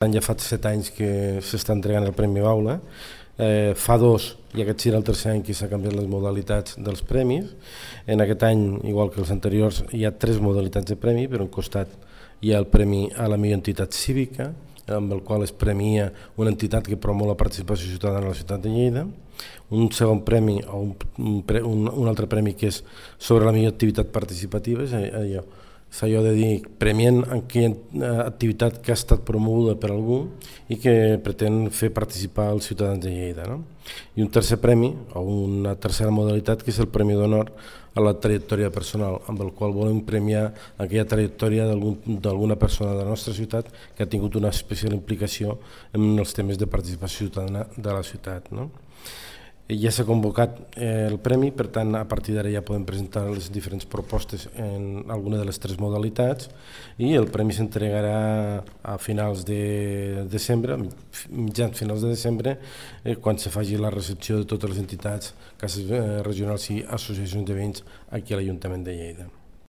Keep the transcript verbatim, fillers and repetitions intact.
Ja fa set anys que s'està entregant el Premi Baula. Eh, fa dos, i aquest serà el tercer any que s'ha canviat les modalitats dels premis. En aquest any, igual que els anteriors, hi ha tres modalitats de premi. Per un costat hi ha el Premi a la millor entitat cívica, amb el qual es premia una entitat que promou la participació ciutadana a la ciutat de Lleida. Un segon premi, o un, un, un altre premi que és sobre la millor activitat participativa, és allò, és allò de dir, premiant aquella activitat que ha estat promoguda per algú i que pretén fer participar els ciutadans de Lleida. No? I un tercer premi, o una tercera modalitat, que és el Premi d'Honor a la trajectòria personal, amb el qual volem premiar aquella trajectòria d'alguna persona de la nostra ciutat que ha tingut una especial implicació en els temes de participació ciutadana de la ciutat. No? Ja s'ha convocat eh, el premi, per tant, a partir d'ara ja podem presentar les diferents propostes en alguna de les tres modalitats i el premi s'entregarà a finals de desembre, mitjans finals de desembre, eh, quan se faci la recepció de totes les entitats, cases eh, regionals i associacions de veïns aquí a l'Ajuntament de Lleida.